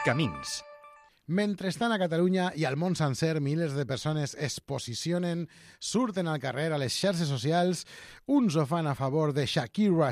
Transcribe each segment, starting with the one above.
Camins. Mentrestant, a Catalunya i al món sencer, milers de persones es posicionen, surten al carrer, a les xarxes socials, uns ho fan a favor de Shakira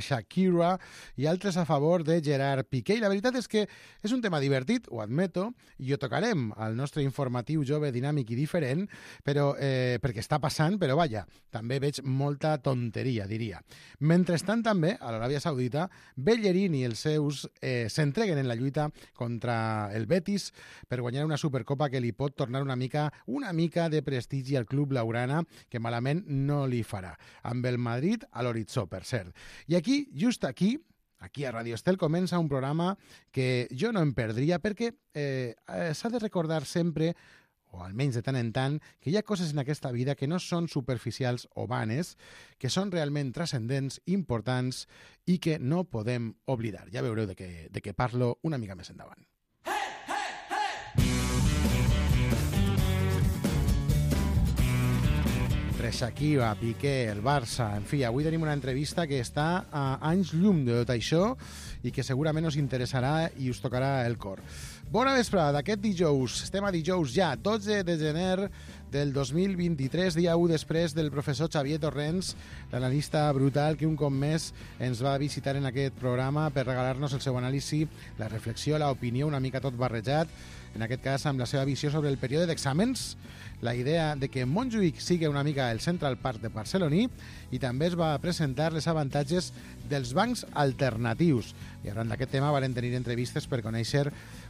i altres a favor de Gerard Piqué. I la veritat és que és un tema divertit, ho admeto, i ho tocarem al nostre informatiu jove, dinàmic i diferent, però perquè està passant, però vaja, també veig molta tonteria, diria. Mentrestant, també, a l'Aràbia Saudita, Bellerín i els seus s'entreguen en la lluita contra el Betis per guanyar una Supercopa que li pot tornar una mica de prestigi al club blaugrana, que malament no li farà, amb el Madrid a l'horitzó, per cert. I aquí, just aquí a Radio Estel, comença un programa que jo no em perdria perquè s'ha de recordar sempre, o almenys de tant en tant, que hi ha coses en aquesta vida que no són superficials o vanes, que són realment transcendents, importants i que no podem oblidar. Ja veureu de què parlo una mica més endavant. Entre Shakira, Piqué, el Barça, en fi, avui tenim una entrevista que està a anys llum de tot això i que segurament us interessarà i us tocarà el cor. Bona vesprada d'aquest dijous. Estem a dijous ja, 12 de gener del 2023, dia 1 després del professor Xavier Torrents, l'analista brutal que un cop més ens va visitar en aquest programa per regalar-nos el seu anàlisi, la reflexió, l'opinió, una mica tot barrejat, en aquest cas amb la seva visió sobre el període d'exàmens, la idea de que Montjuïc sigui una mica el Central Park de barceloní, i també es va presentar les avantatges dels bancs alternatius. I arran d'aquest tema varen tenir entrevistes per conèixer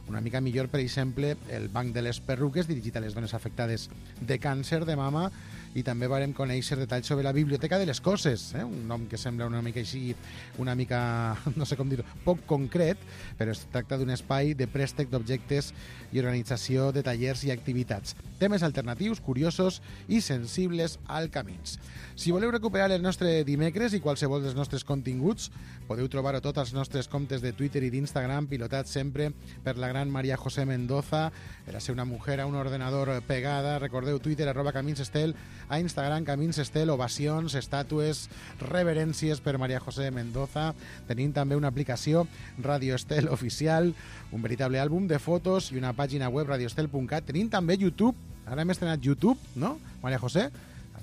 una mica millor, per exemple, el Banc de les Perruques, dirigit a les dones afectades de càncer de mama, i també vàrem conèixer detalls sobre la Biblioteca de les Coses, un nom que sembla una mica així, una mica, no sé com dir-ho, poc concret, però es tracta d'un espai de préstec d'objectes i organització de tallers i activitats. Temes alternatius, curiosos i sensibles al Camins. Si voleu recuperar el nostre dimecres i qualsevol dels nostres continguts, podeu trobar-ho tot als nostres comptes de Twitter i d'Instagram, pilotats sempre per la gran María José Mendoza. Era ser una mujer a un ordenador pegada. Recordeu, Twitter, @CaminsEstel, a Instagram, CaminsEstel, ovacions, estàtues, reverències per María José Mendoza. Tenim també una aplicació, Radio Estel Oficial, un veritable àlbum de fotos i una pàgina web, radioestel.cat. Tenim també YouTube, ara hem estrenat YouTube, no, María José?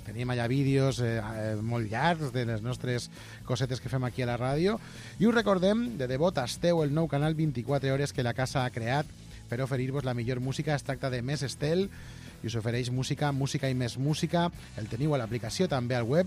Tenim allà vídeos molt llargs de les nostres cosetes que fem aquí a la ràdio. I us recordem, de debò, tasteu el nou canal 24 hores que la casa ha creat per oferir-vos la millor música. Es tracta de Més Estel i us ofereix música i més música. El teniu a l'aplicació, també al web.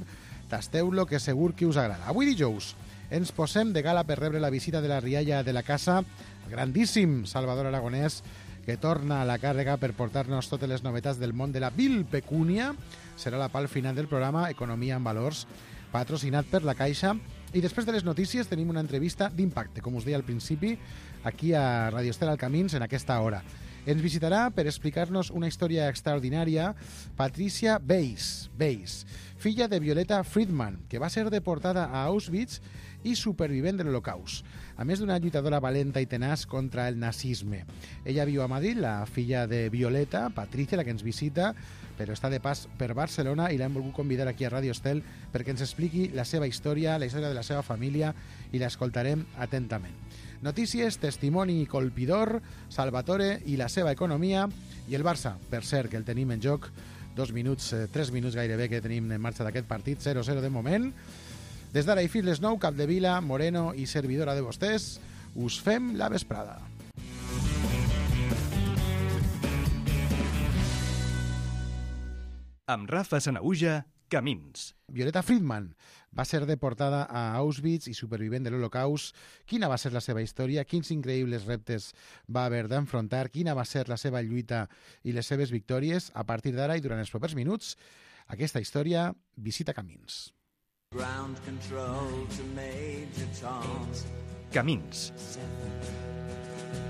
Tasteu-lo, que segur que us agrada. Avui dijous ens posem de gala per rebre la visita de la rialla de la casa, el grandíssim Salvador Aragonès, que torna a la càrrega per portar-nos totes les novetats del món de la vilpecúnia. Serà la part final del programa Economia en Valors, patrocinat per la Caixa. I després de les notícies tenim una entrevista d'impacte, com us deia al principi, aquí a Radio Estel al Camins en aquesta hora. Ens visitarà per explicar-nos una història extraordinària Patricia Weiss, filla de Violeta Friedman, que va ser deportada a Auschwitz i supervivent de l'Holocaust, a més d'una lluitadora valenta i tenaç contra el nazisme. Ella viu a Madrid, la filla de Violeta, Patricia, la que ens visita, però està de pas per Barcelona i l'hem volgut convidar aquí a Radio Estel perquè ens expliqui la seva història, la història de la seva família, i l'escoltarem atentament. Notícies, testimoni colpidor, Salvatore i la seva economia, i el Barça, per cert, que el tenim en joc 3 minuts gairebé que tenim en marxa d'aquest partit, 0-0 de moment. Des d'ara i fins les 9, Capdevila, Moreno i servidora de vostès, us fem la vesprada. Amb Rafa Sanahuja, Camins. Violeta Friedman va ser deportada a Auschwitz i supervivent de l'Holocaust. Quina va ser la seva història? Quins increïbles reptes va haver d'enfrontar? Quina va ser la seva lluita i les seves victòries? A partir d'ara i durant els propers minuts, aquesta història visita Camins. Ground control to Major Tom. Camins. 7,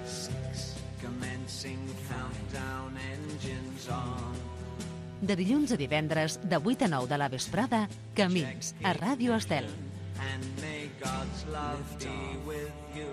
6, commencing countdown, engines on. De dilluns a divendres, de 8 a 9 de la vesprada, Camins, a Ràdio Estel. And may God's love be with you.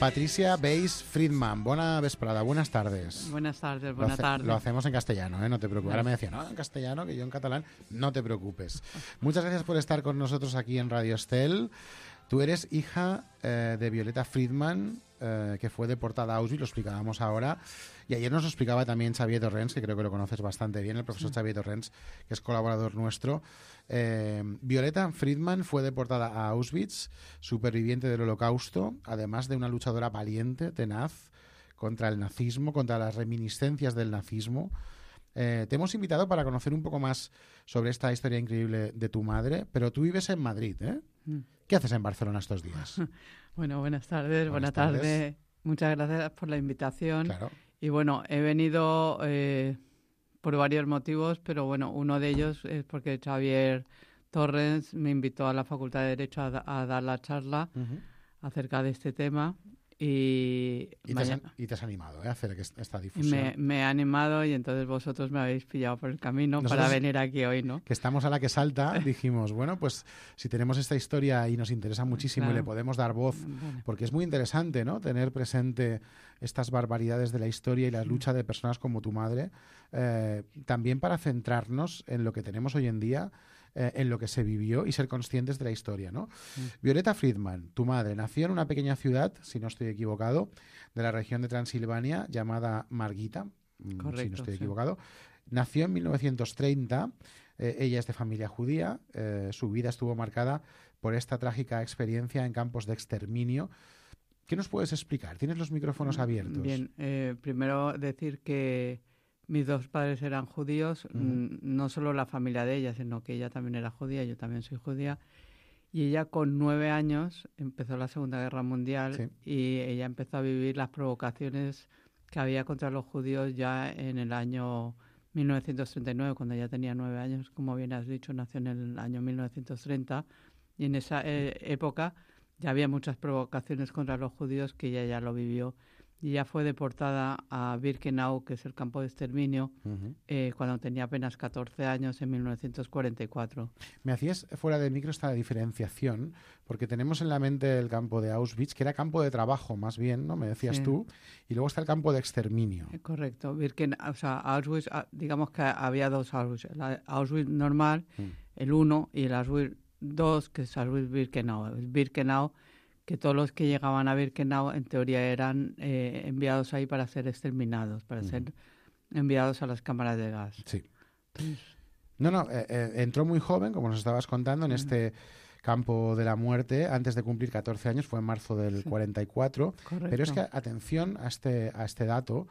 Patricia Weiss Friedman, buena vesprada, buenas tardes. Buenas tardes, buenas tardes. Lo hacemos en castellano, no te preocupes. Ahora me decían, no, en castellano, que yo en catalán, no te preocupes. Muchas gracias por estar con nosotros aquí en Radio Estel. Tú eres hija de Violeta Friedman, que fue deportada a Auschwitz, lo explicábamos ahora. Y ayer nos lo explicaba también Xavier Torrents, que creo que lo conoces bastante bien, el profesor Xavier Torrents, que es colaborador nuestro. Violeta Friedman fue deportada a Auschwitz, superviviente del Holocausto, además de una luchadora valiente, tenaz, contra el nazismo, contra las reminiscencias del nazismo. Te hemos invitado para conocer un poco más sobre esta historia increíble de tu madre, pero tú vives en Madrid, ¿eh? ¿Qué haces en Barcelona estos días? Bueno, buenas tardes, buenas tardes. Muchas gracias por la invitación. Claro. Y bueno, he venido por varios motivos, pero bueno, uno de ellos es porque Xavier Torrents me invitó a la Facultad de Derecho a dar la charla acerca de este tema. Y te has animado a hacer esta difusión. Me he animado y entonces vosotros me habéis pillado por el camino para venir aquí hoy, ¿no? Que estamos a la que salta, dijimos, bueno, pues si tenemos esta historia y nos interesa muchísimo y le podemos dar voz, porque es muy interesante, ¿no? Tener presente estas barbaridades de la historia y la lucha de personas como tu madre, también para centrarnos en lo que tenemos hoy en día, en lo que se vivió y ser conscientes de la historia, ¿no? Violeta Friedman, tu madre, nació en una pequeña ciudad, si no estoy equivocado, de la región de Transilvania, llamada Margita, correcto, si no estoy equivocado. Nació en 1930, ella es de familia judía, su vida estuvo marcada por esta trágica experiencia en campos de exterminio. ¿Qué nos puedes explicar? Tienes los micrófonos abiertos. Bien, primero decir que mis dos padres eran judíos, no solo la familia de ella, sino que ella también era judía, yo también soy judía. Y ella con 9 años empezó la Segunda Guerra Mundial y ella empezó a vivir las provocaciones que había contra los judíos ya en el año 1939, cuando ella tenía 9 años, como bien has dicho, nació en el año 1930. Y en esa época ya había muchas provocaciones contra los judíos que ella ya lo vivió. Y ella fue deportada a Birkenau, que es el campo de exterminio, cuando tenía apenas 14 años, en 1944. Me hacías fuera de micro esta diferenciación, porque tenemos en la mente el campo de Auschwitz, que era campo de trabajo más bien, ¿no? Me decías tú, y luego está el campo de exterminio. Correcto. O sea, Auschwitz, digamos que había dos Auschwitz. El Auschwitz normal, el 1, y el Auschwitz 2, que es Auschwitz-Birkenau. El Birkenau, que todos los que llegaban a Birkenau en teoría eran enviados ahí para ser exterminados, para ser enviados a las cámaras de gas. Sí. Entró muy joven, como nos estabas contando, en este campo de la muerte, antes de cumplir 14 años, fue en marzo del 44. Correcto. Pero es que atención a este dato,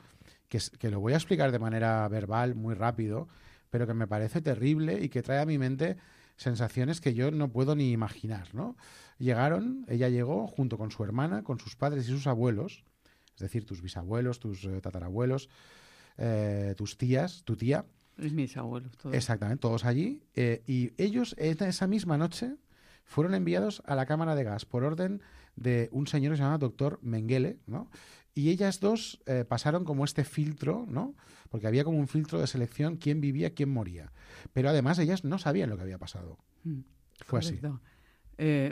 que lo voy a explicar de manera verbal, muy rápido, pero que me parece terrible y que trae a mi mente sensaciones que yo no puedo ni imaginar, ¿no? Ella llegó junto con su hermana, con sus padres y sus abuelos, es decir, tus bisabuelos, tus tatarabuelos, tus tías, tu tía. Y mis abuelos, todos. Exactamente, todos allí. Y ellos, esa misma noche, fueron enviados a la cámara de gas por orden de un señor que se llama doctor Mengele, ¿no? Y ellas dos pasaron como este filtro, ¿no? Porque había como un filtro de selección, quién vivía, quién moría. Pero además ellas no sabían lo que había pasado. Fue correcto. así.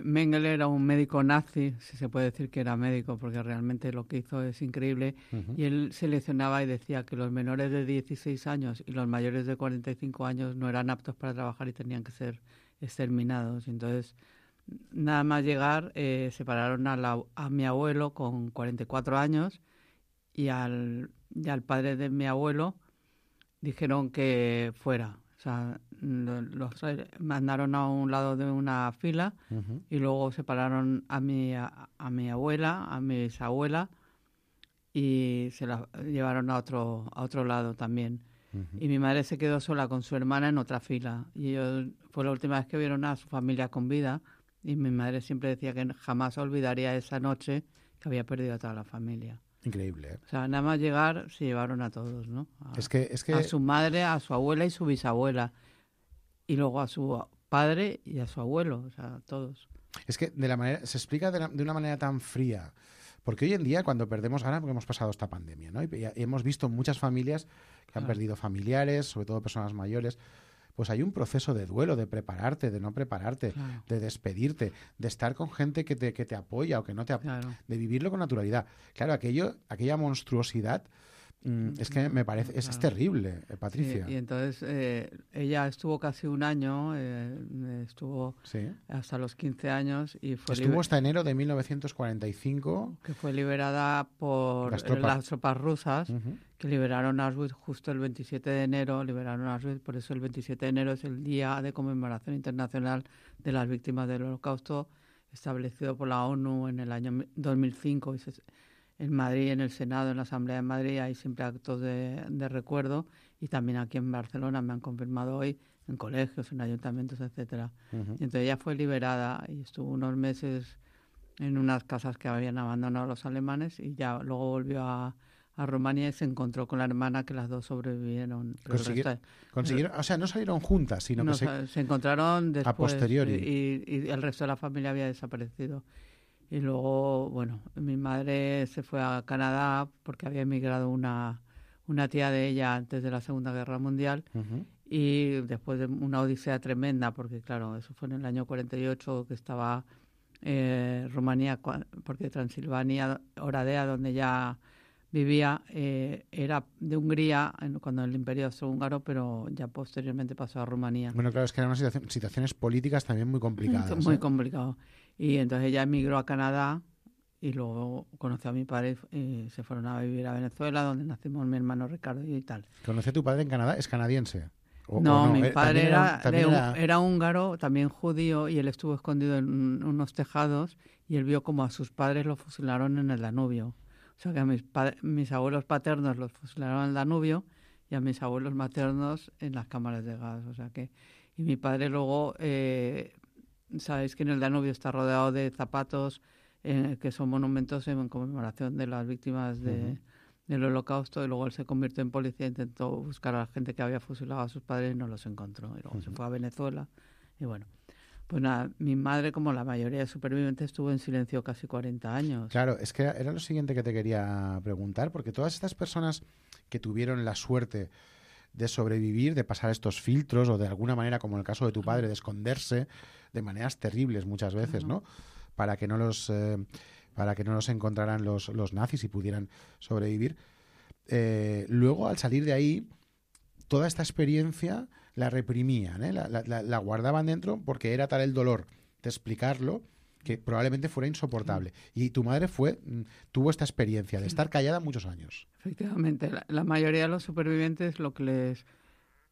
Mengele era un médico nazi, si se puede decir que era médico, porque realmente lo que hizo es increíble. Y él seleccionaba y decía que los menores de 16 años y los mayores de 45 años no eran aptos para trabajar y tenían que ser exterminados. Entonces, nada más llegar, separaron a mi abuelo con 44 años y al padre de mi abuelo dijeron que fuera. O sea, los mandaron a un lado de una fila y luego separaron a mi abuela, a mi bisabuela y se la llevaron a otro lado también. Y mi madre se quedó sola con su hermana en otra fila. Y fue la última vez que vieron a su familia con vida. Y mi madre siempre decía que jamás olvidaría esa noche que había perdido a toda la familia. Increíble, ¿eh? O sea, nada más llegar se llevaron a todos, ¿no? Es que a su madre, a su abuela y su bisabuela. Y luego a su padre y a su abuelo, o sea, todos. Es que se explica de una manera tan fría. Porque hoy en día, cuando perdemos, ahora porque hemos pasado esta pandemia, ¿no? Y hemos visto muchas familias que han perdido familiares, sobre todo personas mayores. pues hay un proceso de duelo, de prepararte, de no prepararte, Claro. de despedirte, de estar con gente que te apoya o que no te apoya, Claro. de vivirlo con naturalidad. Claro, aquella monstruosidad, es que me parece, es Claro. terrible, Patricia. Sí, y entonces ella estuvo casi un año, estuvo Sí. hasta los 15 años y fue Estuvo hasta enero de 1945. que fue liberada por Las las tropas. tropas rusas, Ujú. que liberaron Auschwitz justo el 27 de enero, liberaron Auschwitz, por eso el 27 de enero es el Día de Conmemoración Internacional de las Víctimas del Holocausto, establecido por la ONU en el año 2005, en Madrid, en el Senado, en la Asamblea de Madrid, hay siempre actos de recuerdo, y también aquí en Barcelona me han confirmado hoy, en colegios, en ayuntamientos, etcétera. Ujú. Y entonces ella fue liberada y estuvo unos meses en unas casas que habían abandonado los alemanes, y ya luego volvió a Rumanía y se encontró con la hermana, que las dos sobrevivieron. Pero el resto- Consiguieron, o sea, no salieron juntas, sino no, que se encontraron después posteriori. y el resto de la familia había desaparecido. Y luego, bueno, mi madre se fue a Canadá porque había emigrado una tía de ella antes de la Segunda Guerra Mundial, Ujú. y después de una odisea tremenda, porque claro, eso fue en el año 48 que estaba Rumanía, porque Transilvania, Oradea, donde ya vivía, era de Hungría cuando el Imperio Austrohúngaro, pero ya posteriormente pasó a Rumanía. Bueno, claro, es que eran unas situaciones políticas también muy complicadas. Muy ¿eh? complicado. Y entonces ella emigró a Canadá y luego conoció a mi padre y se fueron a vivir a Venezuela, donde nacimos mi hermano Ricardo y tal. ¿Conoció a tu padre en Canadá? ¿Es canadiense? No, mi padre también era húngaro, también judío, y él estuvo escondido en unos tejados y él vio como a sus padres lo fusilaron en el Danubio. O sea que a mis abuelos paternos los fusilaron en el Danubio y a mis abuelos maternos en las cámaras de gas. O sea que, y mi padre luego, sabéis que en el Danubio está rodeado de zapatos que son monumentos en conmemoración de las víctimas del Holocausto, y luego él se convirtió en policía, intentó buscar a la gente que había fusilado a sus padres y no los encontró. Y luego se fue a Venezuela. Y bueno, pues nada, mi madre, como la mayoría de supervivientes, estuvo en silencio casi 40 años. Claro, es que era lo siguiente que te quería preguntar, porque todas estas personas que tuvieron la suerte de sobrevivir, de pasar estos filtros, o de alguna manera, como en el caso de tu padre, de esconderse de maneras terribles muchas veces, ¿no? Para que no los encontraran los nazis y pudieran sobrevivir. Luego, al salir de ahí, toda esta experiencia la reprimían, ¿eh? La guardaban dentro porque era tal el dolor de explicarlo que probablemente fuera insoportable. Y tu madre tuvo esta experiencia de estar callada muchos años. Efectivamente, la mayoría de los supervivientes, lo que les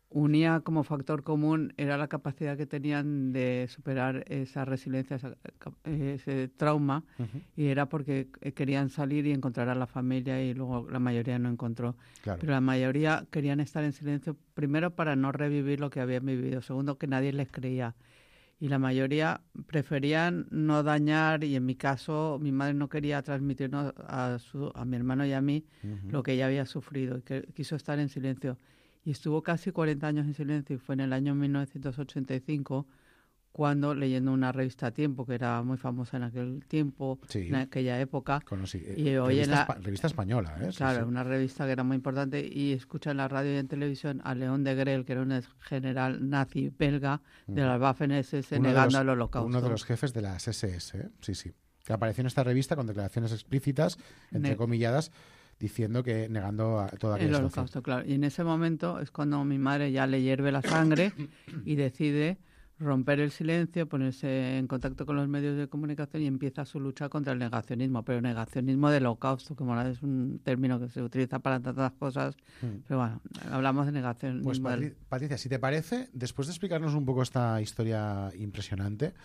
unía como factor común era la capacidad que tenían de superar esa resiliencia, ese trauma, y era porque querían salir y encontrar a la familia, y luego la mayoría no encontró. Claro. Pero la mayoría querían estar en silencio, primero para no revivir lo que habían vivido, segundo que nadie les creía. Y la mayoría preferían no dañar, y en mi caso mi madre no quería transmitirnos a mi hermano y a mí lo que ella había sufrido, y que quiso estar en silencio. Y estuvo casi 40 años en silencio, y fue en el año 1985 cuando, leyendo una revista Tiempo, que era muy famosa en aquel tiempo, Sí. en aquella época, Conocí, y hoy revista española, ¿eh? Sí, claro, sí. una revista que era muy importante, y escucha en la radio y en televisión a León de Grel, que era un general nazi belga de las Waffen-SS, negando el Holocausto. Uno de los jefes de las SS, ¿eh? Sí, sí. Que apareció en esta revista con declaraciones explícitas, entrecomilladas, diciendo que negando toda aquella el situación. Holocausto, claro. Y en ese momento es cuando mi madre ya le hierve la sangre y decide romper el silencio, ponerse en contacto con los medios de comunicación, y empieza su lucha contra el negacionismo, pero negacionismo del Holocausto, que bueno, es un término que se utiliza para tantas cosas, pero bueno, hablamos de negacionismo. Pues Patricia, si te parece, después de explicarnos un poco esta historia impresionante,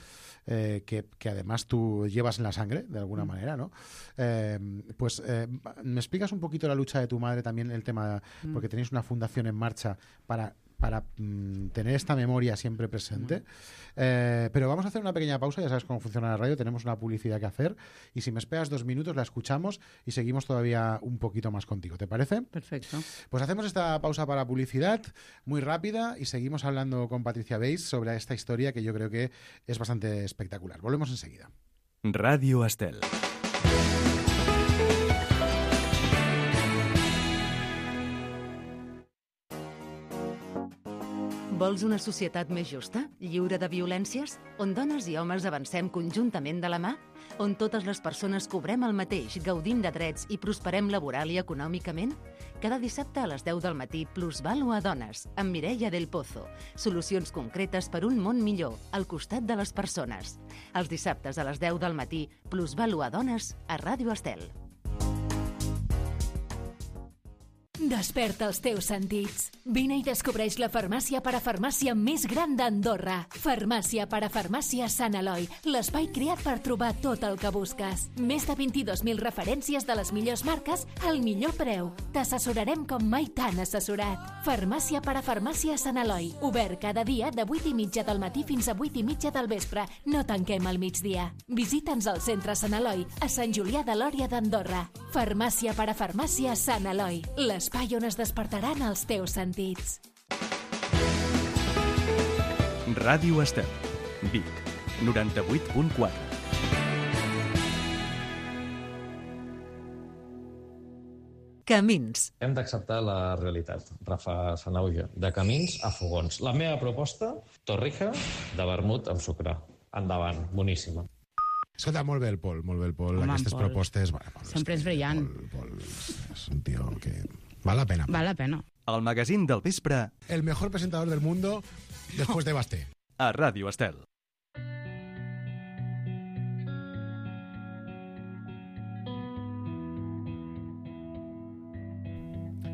que además tú llevas en la sangre, de alguna manera, ¿no? Me explicas un poquito la lucha de tu madre también, el tema, porque tenéis una fundación en marcha para tener esta memoria siempre presente. Pero vamos a hacer una pequeña pausa, ya sabes cómo funciona la radio, tenemos una publicidad que hacer, y si me esperas 2 minutos la escuchamos y seguimos todavía un poquito más contigo, ¿te parece? Perfecto. Pues hacemos esta pausa para publicidad muy rápida y seguimos hablando con Patricia Weiss sobre esta historia que yo creo que es bastante espectacular. Volvemos enseguida. Radio Estel. Vols una societat més justa, lliure de violències? On dones i homes avancem conjuntament de la mà? On totes les persones cobrem el mateix, gaudim de drets i prosperem laboral i econòmicament? Cada dissabte a les 10 del matí, Plusvalua Dones, amb Mireia del Pozo. Solucions concretes per un món millor, al costat de les persones. Els dissabtes a les 10 del matí, Plusvalua Dones, a Ràdio Estel. Desperta els teus sentits. Vine i descobreix la farmàcia parafarmàcia més gran d'Andorra. Farmàcia parafarmàcia Sant Eloi, l'espai creat per trobar tot el que busques. Més de 22.000 referències de les millors marques al millor preu. T'assessorarem com mai t'han assessorat. Farmàcia parafarmàcia Sant Eloi, obert cada dia de 8:30 del matí fins a 8:30 del vespre. No tanquem al migdia. Visita'ns al centre Sant Eloi, a Sant Julià de Lòria d'Andorra. Farmàcia parafarmàcia Sant Eloi, l'espai on es despertaran els teus sentits. Ràdio Estel, Vic, 98.4. Camins. Hem d'acceptar la realitat, Rafa Sanauja, de camins a fogons. La meva proposta, torrija de vermut amb sucre. Endavant, boníssima. Escolta, molt bé el Pol, molt bé el Pol. Home, Aquestes Pol. propostes... Bueno, Pol, Sempre és brillant. Pol és un tio que... Val la pena. Val la pena. El magazín del vespre El mejor presentador del mundo después de Basté. a Ràdio Estel.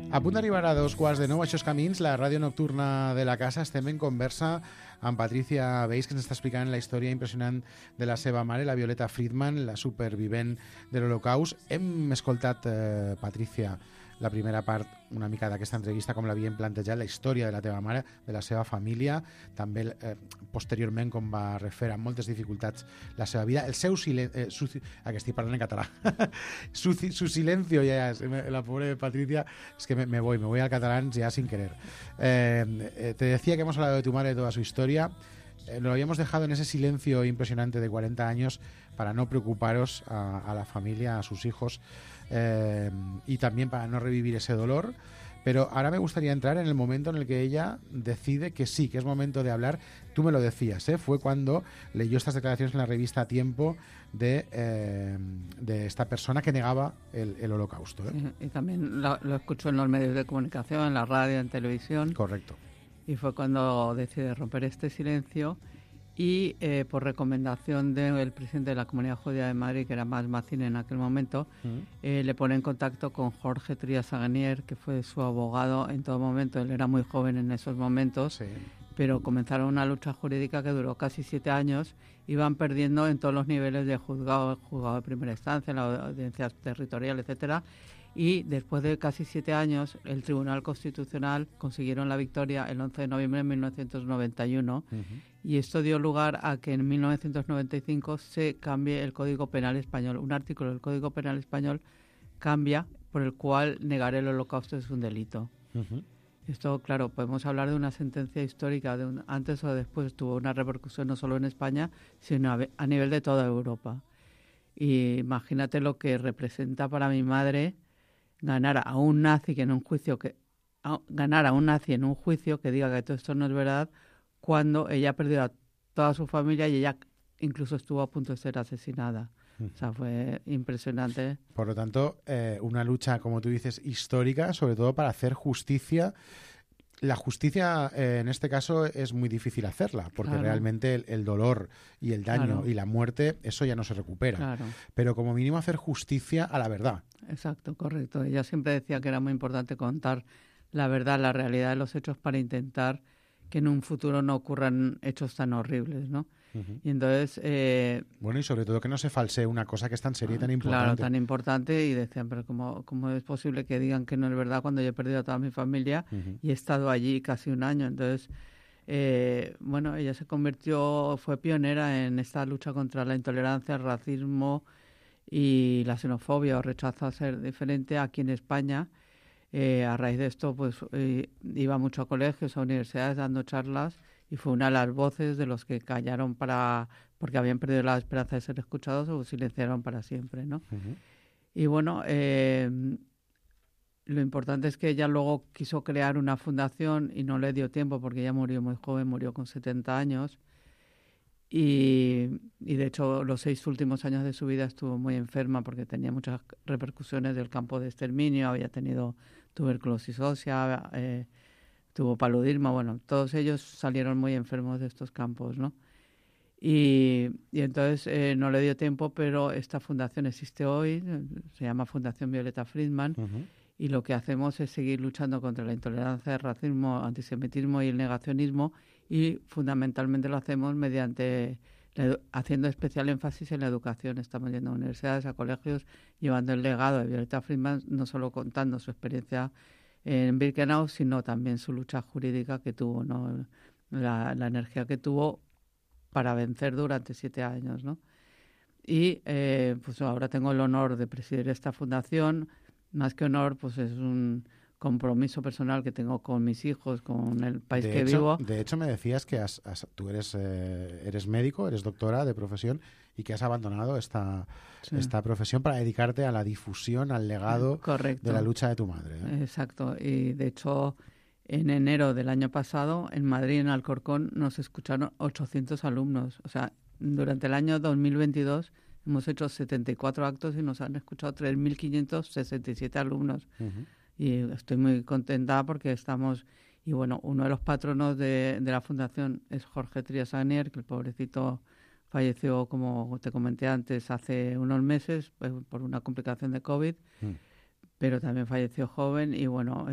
A punt d'arribar a 2:15, això és Camins, la ràdio nocturna de la casa. Estem en conversa amb Patricia Beis, que ens està explicant la història impressionant de la seva mare, la Violeta Friedman, la supervivent de l'Holocaust. Hem escoltat, Patricia, la primera part una mica d'aquesta entrevista, com l'havien plantejat, la història de la teva mare, de la seva família, també posteriorment com va refer amb moltes dificultats la seva vida, el seu silenci... que estic parlant en català. su silencio, ya, la pobre Patricia, es que me voy al catalán ya sin querer. Te decía que hemos hablado de tu madre, de toda su historia. Lo habíamos dejado en ese silencio impresionante de 40 años para no preocuparos a la familia, a sus hijos, y también para no revivir ese dolor. Pero ahora me gustaría entrar en el momento en el que ella decide que sí, que es momento de hablar. Tú me lo decías, fue cuando leyó estas declaraciones en la revista Tiempo de esta persona que negaba el holocausto. Y también lo escuchó en los medios de comunicación, en la radio, en televisión. Correcto. Y fue cuando decide romper este silencio y por recomendación del presidente de la Comunidad Judía de Madrid, que era Mas Mazin en aquel momento, le pone en contacto con Jorge Trías Aguenier, que fue su abogado en todo momento. Él era muy joven en esos momentos, sí, pero comenzaron una lucha jurídica que duró casi 7 años. Iban perdiendo en todos los niveles de juzgado de primera instancia, en la audiencia territorial, etcétera. Y después de casi 7 años, el Tribunal Constitucional consiguieron la victoria el 11 de noviembre de 1991. Y esto dio lugar a que en 1995 se cambie el Código Penal Español. Un artículo del Código Penal Español cambia, por el cual negar el holocausto es un delito. Esto, claro, podemos hablar de una sentencia histórica, antes o después tuvo una repercusión no solo en España, sino a nivel de toda Europa. Y imagínate lo que representa para mi madre ganar a un nazi en un juicio que diga que todo esto no es verdad, cuando ella perdió a toda su familia y ella incluso estuvo a punto de ser asesinada. O sea, fue impresionante. Por lo tanto, una lucha, como tú dices, histórica, sobre todo para hacer justicia. La justicia, en este caso, es muy difícil hacerla, porque realmente el dolor y el daño y la muerte, eso ya no se recupera. Pero como mínimo hacer justicia a la verdad. Exacto, correcto. Ella siempre decía que era muy importante contar la verdad, la realidad de los hechos para intentar que en un futuro no ocurran hechos tan horribles, ¿no? Y entonces... bueno, y sobre todo que no se falsee una cosa que es tan seria y tan importante. Claro, tan importante, y decían, pero ¿cómo es posible que digan que no es verdad cuando yo he perdido a toda mi familia y he estado allí casi un año? Entonces, bueno, ella fue pionera en esta lucha contra la intolerancia, el racismo y la xenofobia o rechazo a ser diferente aquí en España. A raíz de esto, pues iba mucho a colegios, a universidades, dando charlas, y fue una de las voces de los que callaron porque habían perdido la esperanza de ser escuchados o silenciaron para siempre, ¿no? Y bueno, lo importante es que ella luego quiso crear una fundación y no le dio tiempo porque ella murió muy joven, murió con 70 años. Y de hecho los 6 últimos años de su vida estuvo muy enferma porque tenía muchas repercusiones del campo de exterminio, había tenido tuberculosis ósea, tuvo paludismo, bueno, todos ellos salieron muy enfermos de estos campos, ¿no? Y entonces no le dio tiempo, pero esta fundación existe hoy, se llama Fundación Violeta Friedman, y lo que hacemos es seguir luchando contra la intolerancia, el racismo, antisemitismo y el negacionismo, y fundamentalmente lo hacemos mediante haciendo especial énfasis en la educación. Estamos yendo a universidades, a colegios, llevando el legado de Violeta Friedman, no solo contando su experiencia en Birkenau, sino también su lucha jurídica que tuvo, ¿no? La energía que tuvo para vencer durante 7 años, ¿no? Y pues ahora tengo el honor de presidir esta fundación. Más que honor, pues es un compromiso personal que tengo con mis hijos, con el país que vivo. De hecho, me decías que tú eres médico, eres doctora de profesión y que has abandonado esta profesión para dedicarte a la difusión, al legado de la lucha de tu madre, ¿eh? Exacto. Y de hecho, en enero del año pasado, en Madrid, en Alcorcón, nos escucharon 800 alumnos. O sea, durante el año 2022 hemos hecho 74 actos y nos han escuchado 3.567 alumnos. Y estoy muy contenta porque estamos... Y bueno, uno de los patronos de la fundación es Jorge Trias-Agnier, que el pobrecito falleció, como te comenté antes, hace unos meses por una complicación de COVID, pero también falleció joven y bueno...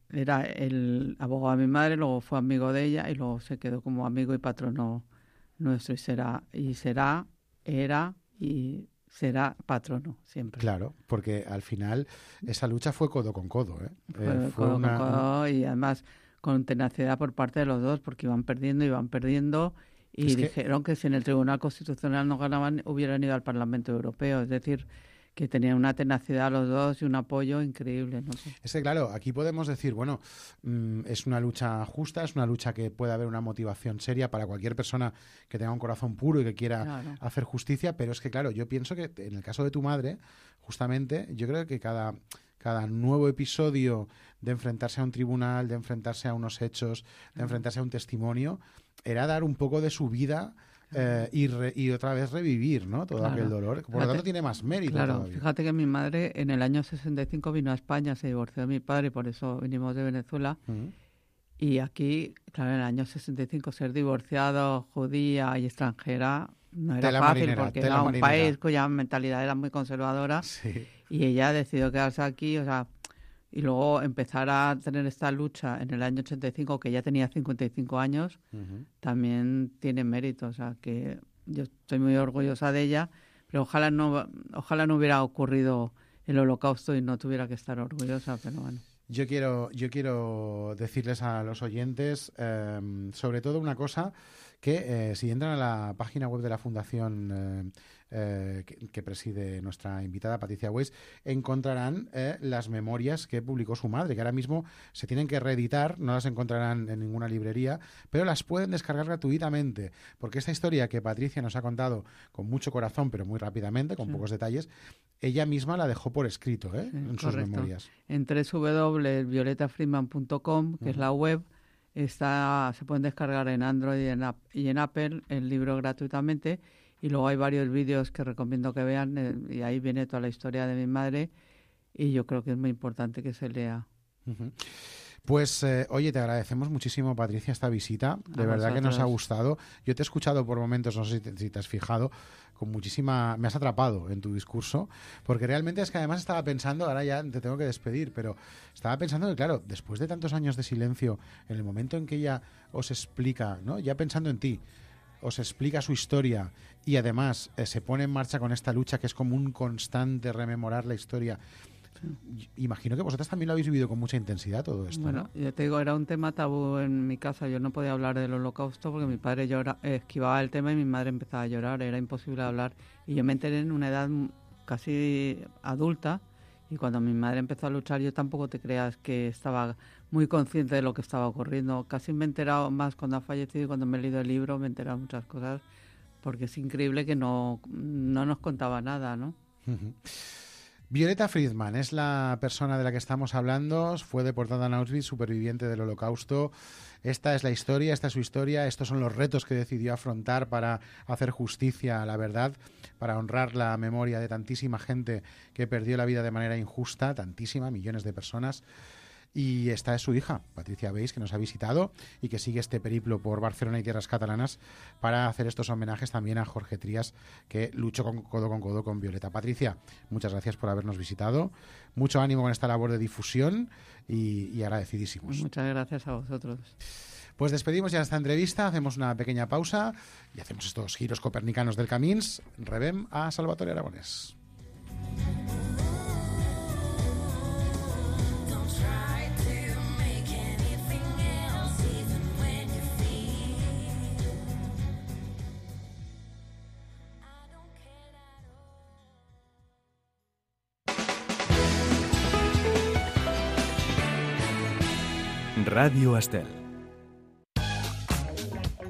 era el abogado de mi madre, luego fue amigo de ella y luego se quedó como amigo y patrono nuestro y será patrono siempre. Claro, porque al final esa lucha fue codo con codo, ¿eh? Fue codo con codo y además con tenacidad por parte de los dos porque iban perdiendo y dijeron que si en el Tribunal Constitucional no ganaban hubieran ido al Parlamento Europeo, es decir, que tenían una tenacidad los dos y un apoyo increíble, ¿no? Es que, claro, aquí podemos decir, bueno, es una lucha justa, es una lucha que puede haber una motivación seria para cualquier persona que tenga un corazón puro y que quiera hacer justicia, pero es que, claro, yo pienso que en el caso de tu madre, justamente, yo creo que cada nuevo episodio de enfrentarse a un tribunal, de enfrentarse a unos hechos, de enfrentarse a un testimonio, era dar un poco de su vida y otra vez revivir, ¿no? Todo aquel dolor. Por lo tanto, tiene más mérito todavía. Fíjate que mi madre en el año 65 vino a España, se divorció de mi padre y por eso vinimos de Venezuela. Y aquí, claro, en el año 65 ser divorciado, judía y extranjera no era fácil porque era un país cuya mentalidad era muy conservadora. Sí. Y ella decidió quedarse aquí, o sea... Y luego empezar a tener esta lucha en el año 85, que ya tenía 55 años, también tiene mérito. O sea, que yo estoy muy orgullosa de ella, pero ojalá no hubiera ocurrido el Holocausto y no tuviera que estar orgullosa, pero bueno. Yo quiero decirles a los oyentes, sobre todo una cosa, que si entran a la página web de la Fundación que preside nuestra invitada Patricia Weiss, encontrarán las memorias que publicó su madre, que ahora mismo se tienen que reeditar, no las encontrarán en ninguna librería, pero las pueden descargar gratuitamente, porque esta historia que Patricia nos ha contado con mucho corazón, pero muy rápidamente, con pocos detalles, ella misma la dejó por escrito, en sus memorias. En www.violetafriedman.com, que es la web, se pueden descargar en Android y en Apple el libro gratuitamente, y luego hay varios vídeos que recomiendo que vean, y ahí viene toda la historia de mi madre, y yo creo que es muy importante que se lea. Pues, oye, te agradecemos muchísimo, Patricia, esta visita. De verdad que nos ha gustado. Yo te he escuchado por momentos, no sé si te has fijado, con muchísima... Me has atrapado en tu discurso, porque realmente es que además estaba pensando, ahora ya te tengo que despedir, pero estaba pensando que, claro, después de tantos años de silencio, en el momento en que ella os explica, ¿no? Ya pensando en ti, os explica su historia y además se pone en marcha con esta lucha que es como un constante rememorar la historia. Imagino que vosotras también lo habéis vivido con mucha intensidad todo esto. Bueno, ¿no? yo te digo, era un tema tabú en mi casa. Yo no podía hablar del Holocausto porque mi padre esquivaba el tema y mi madre empezaba a llorar. Era imposible hablar. Y yo me enteré en una edad casi adulta, y cuando mi madre empezó a luchar, yo tampoco te creas que estaba muy consciente de lo que estaba ocurriendo. Casi me he enterado más cuando ha fallecido y cuando me he leído el libro me he enterado muchas cosas, porque es increíble que no nos contaba nada, ¿no? Violeta Friedman es la persona de la que estamos hablando. Fue deportada en Auschwitz, superviviente del Holocausto. Esta es la historia, esta es su historia. Estos son los retos que decidió afrontar para hacer justicia a la verdad, para honrar la memoria de tantísima gente que perdió la vida de manera injusta, tantísima, millones de personas. Y esta es su hija, Patricia Beis, que nos ha visitado y que sigue este periplo por Barcelona y tierras catalanas para hacer estos homenajes también a Jorge Trías, que luchó codo con Violeta. Patricia, muchas gracias por habernos visitado. Mucho ánimo con esta labor de difusión y agradecidísimos. Muchas gracias a vosotros. Pues despedimos ya esta entrevista, hacemos una pequeña pausa y hacemos estos giros copernicanos del Camins. Rebem a Salvatore Aragonés. Ràdio Estel.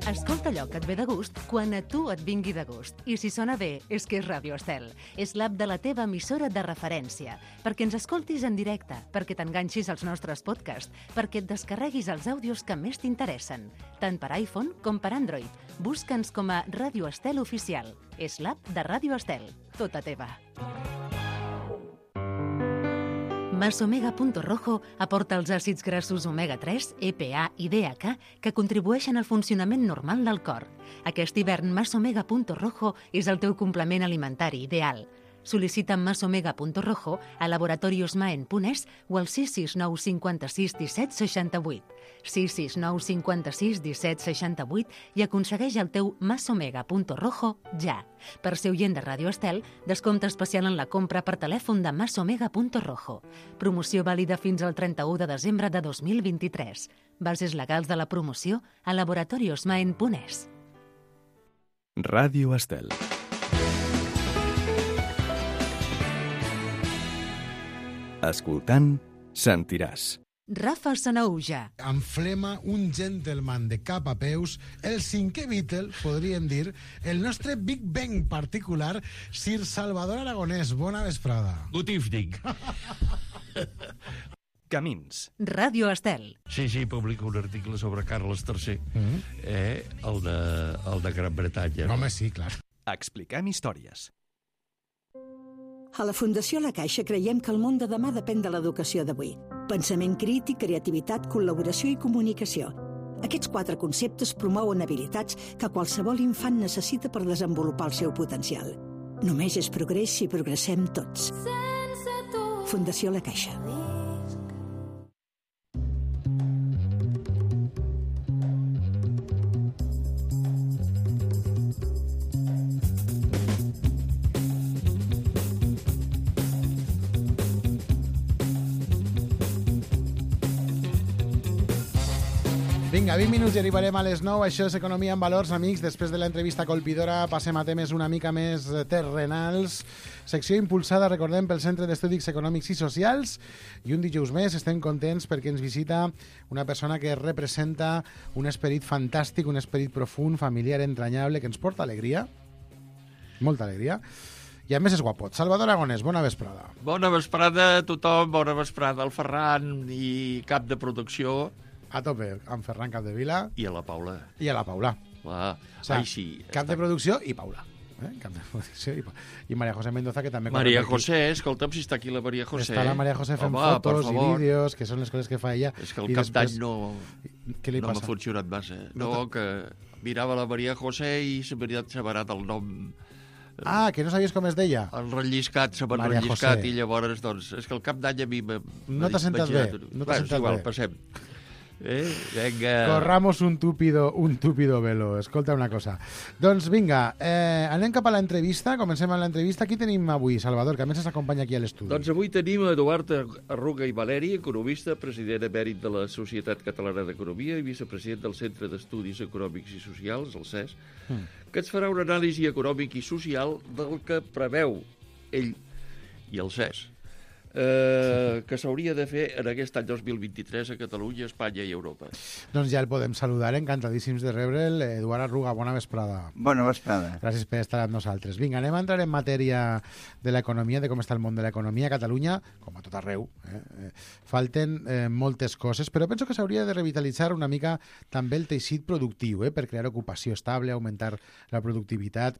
Escolta allò que et ve de gust quan a tu et vingui de gust. I si sona bé, és que és Ràdio Estel. És l'app de la teva emissora de referència. Perquè ens escoltis en directe, perquè t'enganxis als nostres podcasts, perquè et descarreguis els àudios que més t'interessen, tant per iPhone com per Android. Busca'ns com a Ràdio Estel Oficial. És l'app de Ràdio Estel. Tota teva. Masomega.rojo aporta els àcids grassos omega-3, EPA i DHA que contribueixen al funcionament normal del cor. Aquest hivern Masomega.rojo és el teu complement alimentari ideal. Sol·licita Masomega.rojo a laboratoriosmaen.es o al 669 56 17 68. 669 56 17 68 i aconsegueix el teu Masomega.rojo ja. Per ser oient de Ràdio Estel, descompte especial en la compra per telèfon de Masomega.rojo. Promoció vàlida fins al 31 de desembre de 2023. Bases legals de la promoció a laboratoriosmaen.es. Ràdio Estel. Escoltant, sentiràs. Rafa Sanahuja. Amb flema, un gentleman de cap a peus, el cinquè Beatle, podríem dir, el nostre Big Bang particular, Sir Salvador Aragonès. Bona vesprada. Good evening. Camins. Ràdio Estel. Sí, publico un article sobre Carles III, el de Gran Bretanya. Home, sí, clar. Expliquem històries. A la Fundació La Caixa creiem que el món de demà depèn de l'educació d'avui. Pensament crític, creativitat, col·laboració i comunicació. Aquests 4 conceptes promouen habilitats que qualsevol infant necessita per desenvolupar el seu potencial. Només és progrés si progressem tots. Fundació La Caixa. Vinga, 20 minuts i arribarem a les 9. Això és Economia en Valors, amics. Després de l'entrevista colpidora passem a temes una mica més terrenals. Secció impulsada, recordem, pel Centre d'Estudis Econòmics i Socials. I un dijous més estem contents perquè ens visita una persona que representa un esperit fantàstic, un esperit profund, familiar, entranyable, que ens porta alegria. Molta alegria. I a més és guapot. Salvador Aragonès, bona vesprada. Bona vesprada a tothom, bona vesprada al Ferran i cap de producció. A tope, amb Ferran Capdevila. I a la Paula. I a la Paula. Clar. O sigui, sí. Cap de producció i Paula. Cap de producció i Maria José Mendoza, que també... Maria José, escolta'm si està aquí la Maria José. Està la Maria José fent fotos i vídeos, que són les coses que fa ella. És que el cap d'any no m'ha funcionat massa. No, que mirava la Maria José i s'ha barat el nom... Ah, que no sabies com es deia? El relliscat, s'ha relliscat i llavors, doncs, és que el cap d'any a mi... No t'ha sentat bé. No t'ha sentat bé. Passem. Venga. Corramos un túpido velo. Escolta una cosa. Doncs vinga, anem cap a l'entrevista. Comencem amb l'entrevista. Qui tenim avui, Salvador, que a més ens acompanya aquí a l'estudi? Doncs avui tenim Eduard Arruga i Valeri, economista, president emèrit de la Societat Catalana d'Economia i vicepresident del Centre d'Estudis Econòmics i Socials, el CES, que ens farà una anàlisi econòmic i social del que preveu ell i el CES que s'hauria de fer en aquest any 2023 a Catalunya, Espanya i Europa. Doncs ja el podem saludar, encantadíssims de rebre'l. Eduard Arruga, bona vesprada. Bona vesprada. Gràcies per estar amb nosaltres. Vinga, anem a entrar en matèria de l'economia, de com està el món de l'economia a Catalunya, com a tot arreu. Falten moltes coses, però penso que s'hauria de revitalitzar una mica també el teixit productiu, per crear ocupació estable, augmentar la productivitat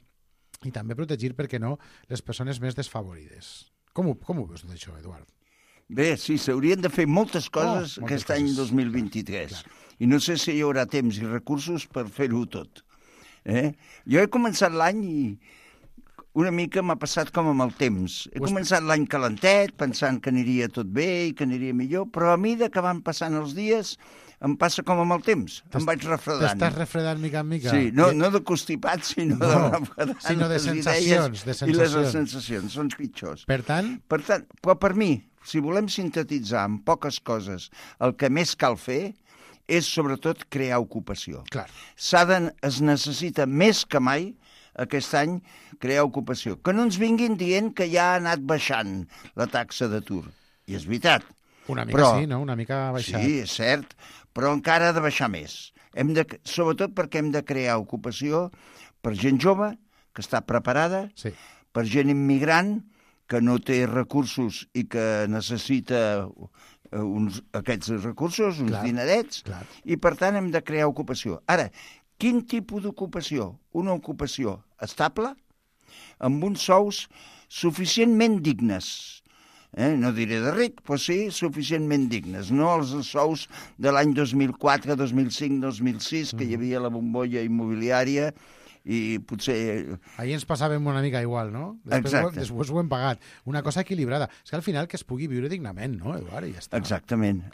i també protegir, per què no, les persones més desfavorides. Com ho veus tot això, Eduard? Bé, sí, s'haurien de fer moltes coses aquest any 2023. Clar. I no sé si hi haurà temps i recursos per fer-ho tot. Jo he començat l'any i una mica m'ha passat com amb el temps. He començat l'any calentet, pensant que aniria tot bé i que aniria millor, però a mesura que van passant els dies em passa com amb el temps. Em vaig refredant. T'estàs refredant mica en mica? Sí, no de constipat, sinó de refredant. Sinó de sensacions. I les sensacions són pitjors. Per tant, però per mi, si volem sintetitzar en poques coses el que més cal fer, és sobretot crear ocupació. Clar. Es necessita més que mai aquest any crear ocupació. Que no ens vinguin dient que ja ha anat baixant la taxa d'atur. I és veritat. Una mica sí, no? Una mica ha baixat. Sí, és cert, però encara ha de baixar més. Sobretot perquè hem de crear ocupació per gent jove, que està preparada, per gent immigrant, que no té recursos i que necessita aquests recursos, uns dinerets, i per tant hem de crear ocupació. Ara, quin tipus d'ocupació? Una ocupació estable, amb uns sous suficientment dignes. No diré de ric, però sí suficientment dignes. No els sous de l'any 2004, 2005, 2006, que hi havia la bombolla immobiliària i potser... Ahir ens passàvem una mica igual, no? Després ho hem pagat. Una cosa equilibrada. És que al final que es pugui viure dignament, no, Eduard? I ja està. Exactament.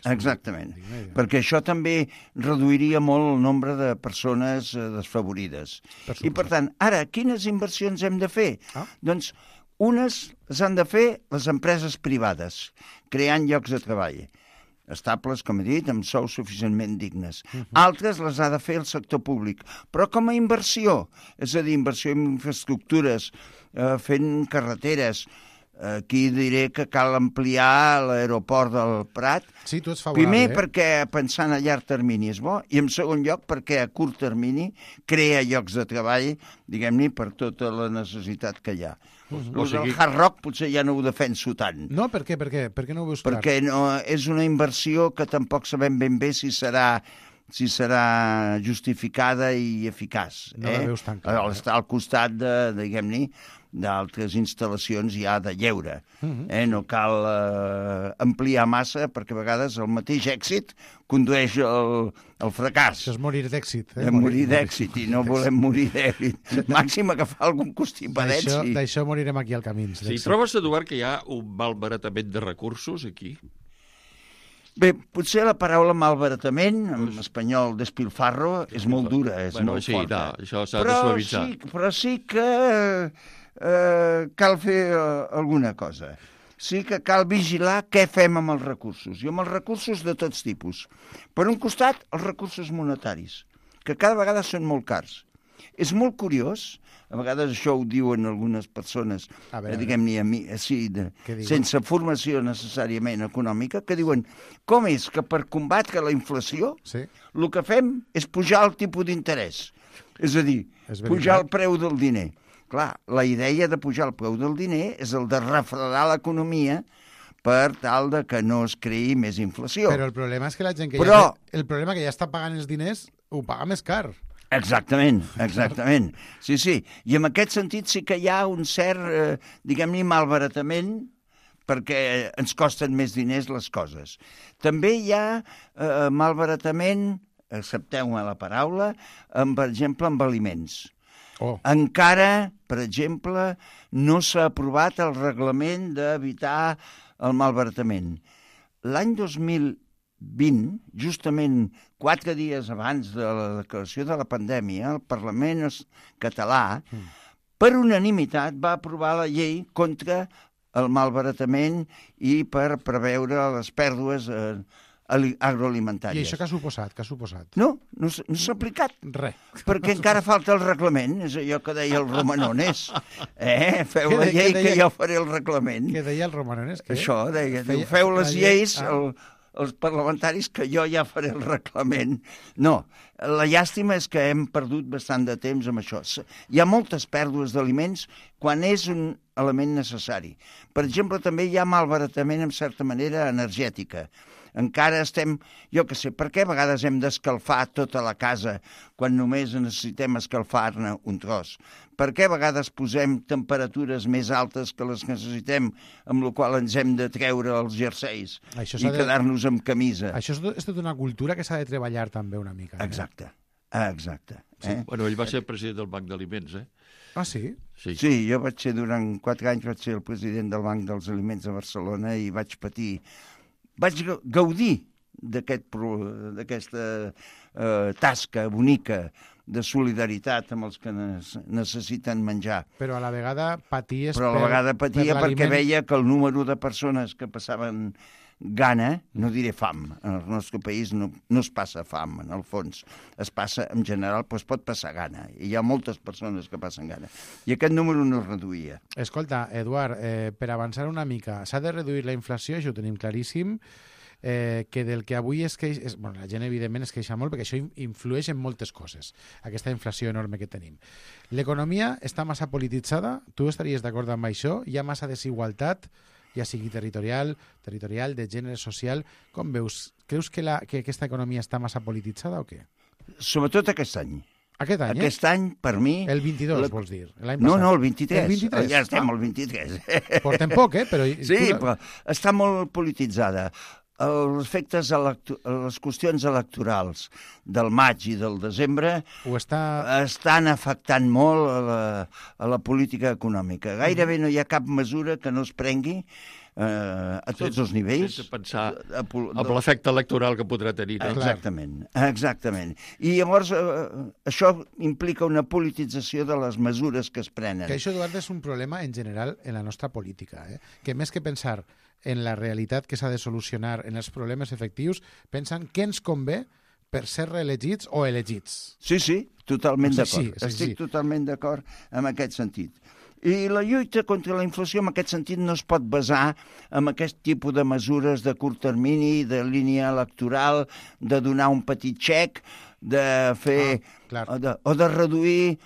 Perquè això també reduiria molt el nombre de persones desfavorides. I per tant, ara, quines inversions hem de fer? Doncs unes les han de fer les empreses privades, creant llocs de treball estables, com he dit, amb sous suficientment dignes. Altres les ha de fer el sector públic, però com a inversió, és a dir, inversió en infraestructures, fent carreteres. Aquí diré que cal ampliar l'aeroport del Prat. Sí, tu ets favorable. Primer perquè pensant a llarg termini és bo, i en segon lloc perquè a curt termini crea llocs de treball, diguem-ne, per tota la necessitat que hi ha. El Hard Rock potser ja no ho defenso tant. No, per què? Per què no ho veus clar? Perquè és una inversió que tampoc sabem ben bé si serà justificada i eficaç. No la veus tan clar. Està al costat diguem-ne, d'altres instal·lacions ja de lleure. No cal ampliar massa, perquè a vegades el mateix èxit condueix al fracàs. Això és morir d'èxit. Morir d'èxit, i no volem morir d'èxit. Màxim agafar algun costipadet. D'això morirem aquí al camí. Sí, trobes, Eduard, que hi ha un malbaratament de recursos aquí? Bé, potser la paraula malbaratament, en espanyol despilfarro, és molt dura, és molt forta. Això s'ha de suavitzar. Però sí que cal fer alguna cosa. Sí que cal vigilar què fem amb els recursos, i amb els recursos de tots tipus. Per un costat, els recursos monetaris, que cada vegada són molt cars. És molt curiós, a vegades això ho diuen algunes persones, diguem-ne, sense formació necessàriament econòmica, que diuen, com és que per combatre la inflació el que fem és pujar el tipus d'interès? És a dir, pujar el preu del diner. Clar, la idea de pujar el preu del diner és el de refredar l'economia per tal de que no es creï més inflació. Però el problema és que la gent que ja està pagant els diners ho paga més car. Exactament. Sí. I en aquest sentit sí que hi ha un cert, diguem-ne, malbaratament, perquè ens costen més diners les coses. També hi ha malbaratament, accepteu-me la paraula, per exemple, amb aliments. Encara, per exemple, no s'ha aprovat el reglament d'evitar el malbaratament. L'any 2020, justament 4 dies abans de la declaració de la pandèmia, el Parlament català, per unanimitat, va aprovar la llei contra el malbaratament i per preveure les pèrdues agroalimentàries. I això què ha suposat? No s'ha aplicat. Res. Perquè encara falta el reglament, és allò que deia el Romanones. Feu la llei que jo faré el reglament. Què deia el Romanones? Això, deia, feu les lleis, els parlamentaris, que jo ja faré el reglament. No, la llàstima és que hem perdut bastant de temps amb això. Hi ha moltes pèrdues d'aliments quan és un element necessari. Per exemple, també hi ha malbaratament, en certa manera, energètica. Encara estem, jo què sé, per què a vegades hem d'escalfar tota la casa quan només necessitem escalfar-ne un tros? Per què a vegades posem temperatures més altes que les que necessitem, amb la qual ens hem de treure els jerseis i quedar-nos amb camisa? Això és tota una cultura que s'ha de treballar també una mica. Exacte. Sí. Bueno, ell va ser president del Banc d'Aliments, Ah, sí? Sí, jo vaig ser durant 4 anys, vaig ser el president del Banc dels Aliments a Barcelona i vaig gaudir d'aquesta tasca bonica de solidaritat amb els que necessiten menjar. Però a la vegada paties perquè veia que el número de persones que passaven gana, no diré fam, en el nostre país no es passa fam, en el fons. Es passa, en general, doncs pot passar gana. I hi ha moltes persones que passen gana. I aquest número no es reduïa. Escolta, Eduard, per avançar una mica, s'ha de reduir la inflació, això ho tenim claríssim, que del que avui es queixa... Bueno, la gent, evidentment, es queixa molt perquè això influeix en moltes coses, aquesta inflació enorme que tenim. L'economia està massa polititzada? Tu estaries d'acord amb això? Hi ha massa desigualtat, ja sigui territorial, de gènere social. Com veus? Creus que aquesta economia està massa polititzada o què? Sobretot aquest any. Aquest any, Aquest any, per mi... El 22, vols dir? No, el 23. El 23? Ja estem al 23. Portem poc, però... Sí, però està molt polititzada. Els efectes, les qüestions electorals del maig i del desembre estan afectant molt a la política econòmica. Gairebé no hi ha cap mesura que no es prengui a tots els nivells. Sense pensar en l'efecte electoral que podrà tenir. Exactament. I llavors això implica una politització de les mesures que es prenen. Que això, Eduard, és un problema en general en la nostra política, que més que pensar en la realitat que s'ha de solucionar, en els problemes efectius, pensen què ens convé per ser reelegits o elegits. Sí, totalment d'acord. Estic totalment d'acord en aquest sentit. I la lluita contra la inflació en aquest sentit no es pot basar en aquest tipus de mesures de curt termini, de línia electoral, de donar un petit xec, de fer... o de reduir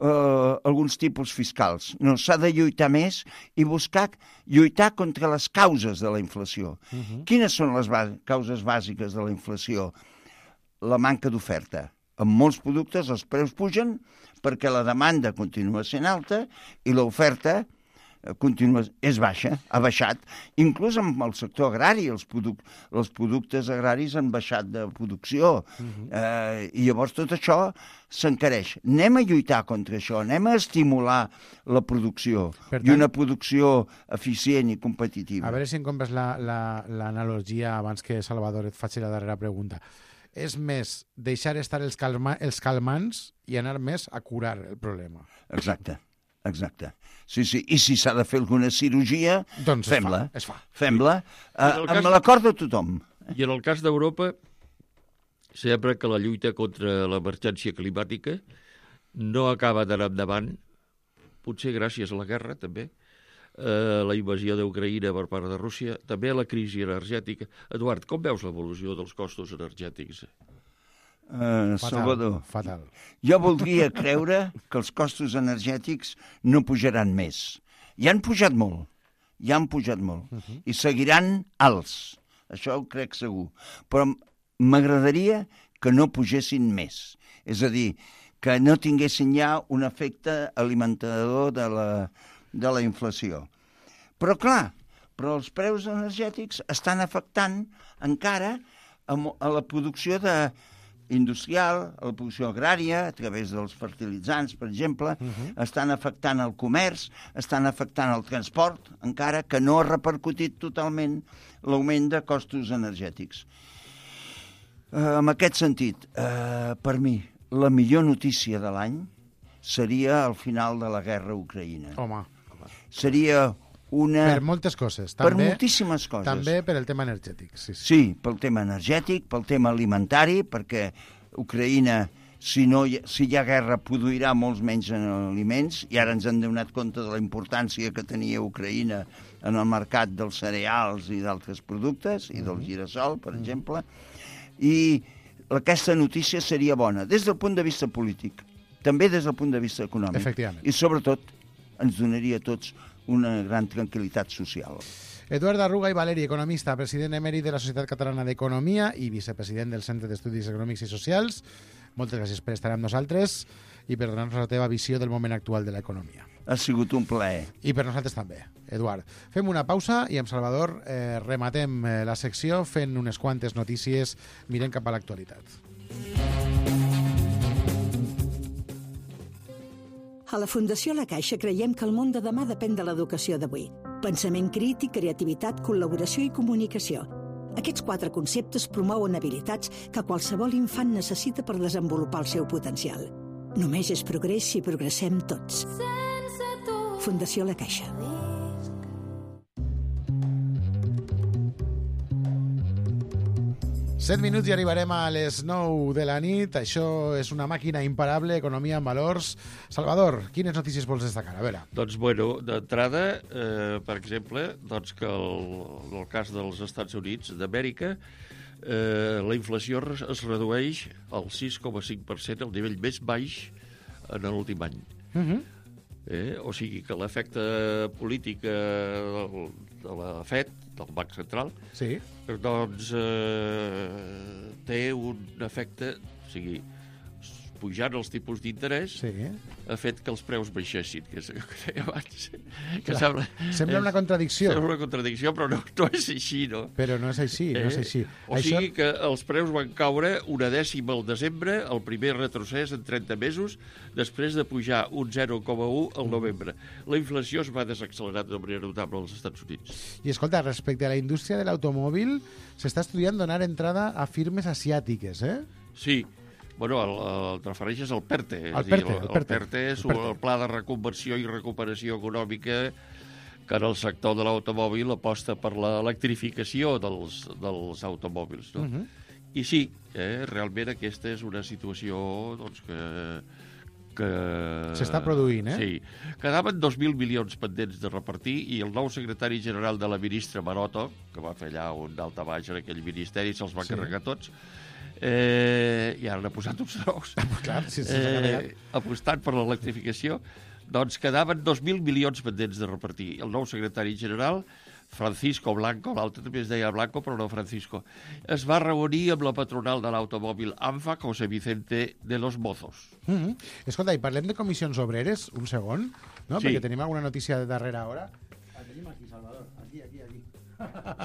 alguns tipus fiscals. No, s'ha de lluitar més i lluitar contra les causes de la inflació. Quines són les causes bàsiques de la inflació? La manca d'oferta. En molts productes els preus pugen perquè la demanda continua sent alta i l'oferta és baixa, ha baixat. Inclús en el sector agrari, els productes agraris han baixat de producció. I llavors tot això s'encareix. Anem a lluitar contra això, anem a estimular la producció i una producció eficient i competitiva. A veure si em compres l'analogia abans que Salvador et faci la darrera pregunta. És més deixar estar els calmants i anar més a curar el problema. Exacte. Sí. I si s'ha de fer alguna cirurgia, doncs fem-la. Fem-la amb l'acord de tothom. I en el cas d'Europa, sembla que la lluita contra l'emergència climàtica no acaba d'anar endavant, potser gràcies a la guerra, també, la invasió d'Ucraïna per part de Rússia, també la crisi energètica. Eduard, com veus l'evolució dels costos energètics? Salvador, fatal. Jo voldria creure que els costos energètics no pujaran més. Ja han pujat molt. I seguiran alts. Això ho crec segur. Però m'agradaria que no pugessin més. És a dir, que no tinguessin ja un efecte alimentador de la inflació. Però clar, els preus energètics estan afectant encara a la producció industrial, a la producció agrària, a través dels fertilitzants, per exemple, estan afectant el comerç, estan afectant el transport, encara que no ha repercutit totalment l'augment de costos energètics. En aquest sentit, per mi, la millor notícia de l'any seria el final de la guerra a Ucraïna. Home. Seria Per moltes coses. Per moltíssimes coses. També per el tema energètic. Sí, pel tema energètic, pel tema alimentari, perquè Ucraïna, si hi ha guerra, produirà molts menys aliments, i ara ens hem donat compte de la importància que tenia Ucraïna en el mercat dels cereals i d'altres productes, i del girassol, per exemple, i aquesta notícia seria bona des del punt de vista polític, també des del punt de vista econòmic. Efectivament. I sobretot ens donaria a tots una gran tranquil·litat social. Eduard Arruga i Valeri, economista, president emèrit de la Societat Catalana d'Economia i vicepresident del Centre d'Estudis Econòmics i Socials. Moltes gràcies per estar amb nosaltres i per donar-nos la teva visió del moment actual de l'economia. Ha sigut un plaer. I per nosaltres també, Eduard. Fem una pausa i amb Salvador rematem la secció fent unes quantes notícies, mirem cap a l'actualitat. A la Fundació La Caixa creiem que el món de demà depèn de l'educació d'avui. Pensament crític, creativitat, col·laboració i comunicació. Aquests 4 conceptes promouen habilitats que qualsevol infant necessita per desenvolupar el seu potencial. Només és progrés si progressem tots. Fundació La Caixa. 7 minuts i arribarem a les 9 de la nit. Això és una màquina imparable, economia en valors. Salvador, quines notícies vols destacar? A veure. Doncs, bueno, d'entrada, per exemple, doncs que en el cas dels Estats Units d'Amèrica, la inflació es redueix al 6,5%, el nivell més baix en l'últim any. O sigui que l'efecte polític de la FED, del Banc Central, doncs té un efecte, o sigui, pujant els tipus d'interès ha fet que els preus baixessin, que és el que deia abans. Sembla una contradicció. Sembla una contradicció, però no és així, no? Però no és així, no és així. O sigui que els preus van caure 1/10 al desembre, el primer retrocés en 30 mesos, després de pujar un 0,1 al novembre. La inflació es va desaccelerar de manera notable als Estats Units. I escolta, respecte a la indústria de l'automòbil, s'està estudiant donar entrada a firmes asiàtiques, eh? Sí. Bueno, el refereixes al PERTE. El PERTE és el Pla de Reconversió i Recuperació Econòmica que en el sector de l'automòbil aposta per l'electrificació dels automòbils. No? I sí, realment aquesta és una situació doncs, que s'està produint, eh? Sí. Quedaven 2.000 milions pendents de repartir i el nou secretari general de la ministra Maroto, que va fer allà un daltabaix en aquell ministeri, se'ls va carregar tots, i ara n'ha posat uns nous. Clar, apostant per l'electrificació, doncs quedaven 2.000 milions pendents de repartir. El nou secretari general, Francisco Blanco, l'altre també es deia Blanco, però no Francisco, es va reunir amb la patronal de l'automòbil ANFA, José Vicente de los Mozos. Escolta, i parlem de comissions obreres, un segon, no? Sí. Perquè tenim alguna notícia de darrera hora. La tenim aquí, Salvador, aquí.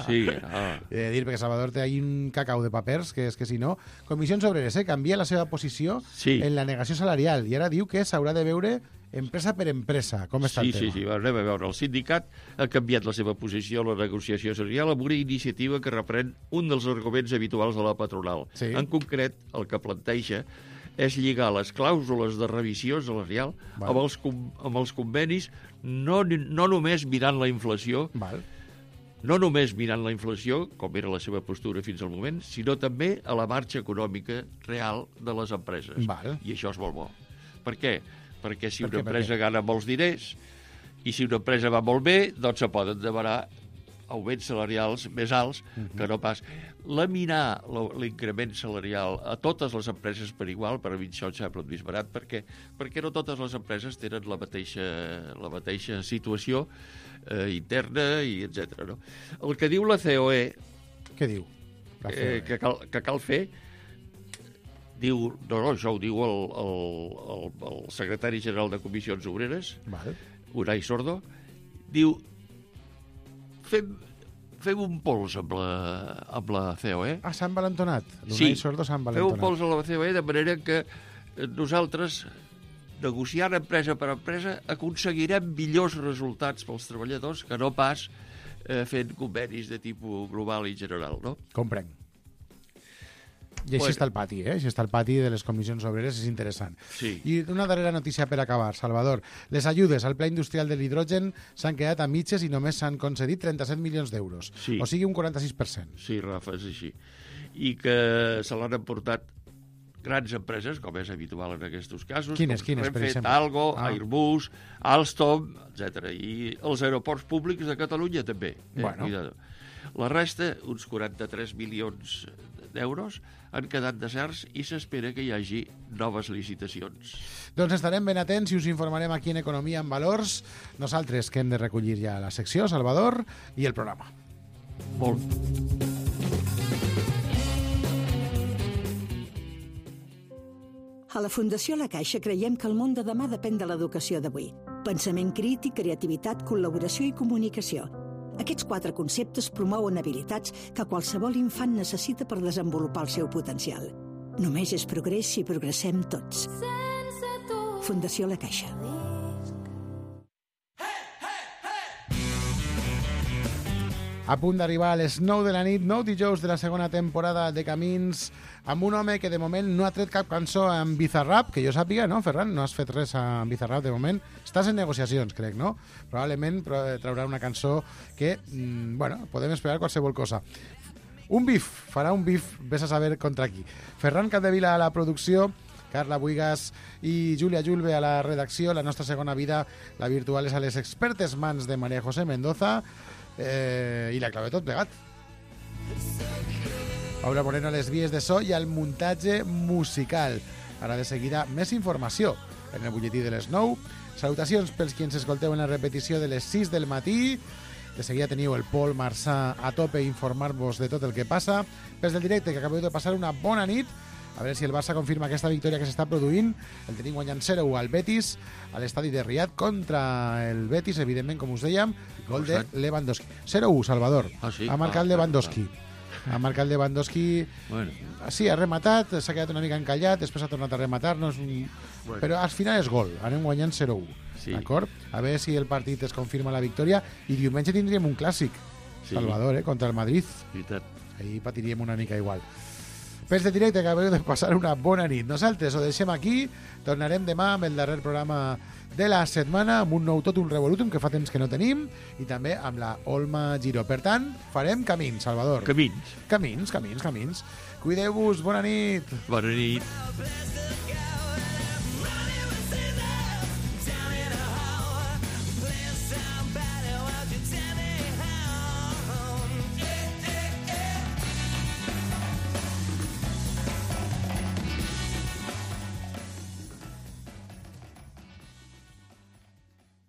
Sí, He de dir, perquè Salvador té ahí un cacau de papers, que és que si no... Comissions Obreres, canvia la seva posició en la negació salarial i ara diu que s'haurà de veure empresa per empresa. Com està el tema? Sí, anem a veure. El sindicat ha canviat la seva posició a la negociació salarial amb una iniciativa que reprèn un dels arguments habituals de la patronal. En concret, el que planteja és lligar les clàusules de revisió salarial amb els convenis, no només mirant la inflació, no només mirant la inflació, com era la seva postura fins al moment, sinó també a la marxa econòmica real de les empreses. I això és molt bo. Per què? Perquè si una empresa gana molts diners i si una empresa va molt bé, doncs se poden demanar augments salarials més alts que no pas. Laminar l'increment salarial a totes les empreses per igual, per a mi això em sembla més barat, perquè no totes les empreses tenen la mateixa situació interna i etc. No? El que diu la COE... Què diu? Que cal fer... Diu, això ho diu el secretari general de Comissions Obreres, Unai Sordo, diu, fem un pols amb la COE. S'han valentonat? L'Unai Sordo s'han valentonat. Fem un pols amb la COE de manera que nosaltres, negociant empresa per empresa, aconseguirem millors resultats pels treballadors que no pas fent convenis de tipus global i general, no? Comprenc. I així està el pati, Així està el pati de les comissions obreres, és interessant. Sí. I una darrera notícia per acabar, Salvador. Les ajudes al pla industrial de l'hidrogen s'han quedat a mitges i només s'han concedit 37 milions d'euros. Sí. O sigui, un 46%. Sí, Rafa, és així. I que se l'han emportat grans empreses, com és habitual en aquests casos, quines, per Renfe, exemple? Talgo, Airbus, Alstom, etc. I els aeroports públics de Catalunya també. Bueno. Cuidado. La resta, uns 43 milions d'euros, han quedat deserts i s'espera que hi hagi noves licitacions. Doncs estarem ben atents i us informarem aquí en Economia en Valors. Nosaltres que hem de recollir ja la secció, Salvador, i el programa. Molt. A la Fundació La Caixa creiem que el món de demà depèn de l'educació d'avui. Pensament crític, creativitat, col·laboració i comunicació. Aquests 4 conceptes promouen habilitats que qualsevol infant necessita per desenvolupar el seu potencial. Només és progrés si progressem tots. Fundació La Caixa. A punt d'arribar a les 9 de la nit, 9 dijous de la segona temporada de Camins, amb un home que de moment no ha tret cap cançó amb Bizarrap, que jo sàpiga, no, Ferran? No has fet res amb Bizarrap de moment. Estàs en negociacions, crec, no? Probablement traurà una cançó que, bueno, podem esperar qualsevol cosa. Farà un bif, vés a saber contra qui. Ferran Capdevila a la producció, Carla Buigas i Júlia Julve a la redacció. La nostra segona vida, la virtual, és a les expertes mans de María José Mendoza, i la clau de tot plegat. Paula Moreno a les vies de so i al muntatge musical. Ara de seguida més informació en el butlletí de les 9. Salutacions pels qui ens escolteu en la repetició de les 6 del matí. De seguida teniu el Pol Marçà a tope i informar-vos de tot el que passa. Pels del directe, que acabeu de passar una bona nit. A veure si el Barça confirma aquesta victòria que s'està produint. El tenim guanyant 0-1 al Betis, a l'estadi de Riad contra el Betis, evidentment, com us dèiem, gol de Lewandowski. 0-1, Salvador. Ah, sí? Ha marcat Lewandowski. Ha marcat Lewandowski. Bueno. Sí, ha rematat, s'ha quedat una mica encallat, després ha tornat a rematar, no és un... Bueno. Però al final és gol. Anem guanyant 0-1. Sí. D'acord? A veure si el partit es confirma la victòria. I diumenge tindríem un clàssic, Sí. Salvador, contra el Madrid. Veritat. Ahir patiríem una mica igual. Pels de directe, que acabeu de passar una bona nit. Nosaltres ho deixem aquí, tornarem demà amb el darrer programa de la setmana, amb un nou tot un revolutum que fa temps que no tenim, i també amb la Olma Giro. Per tant, farem camins, Salvador. Camins. Camins. Cuideu-vos, bona nit. Bona nit.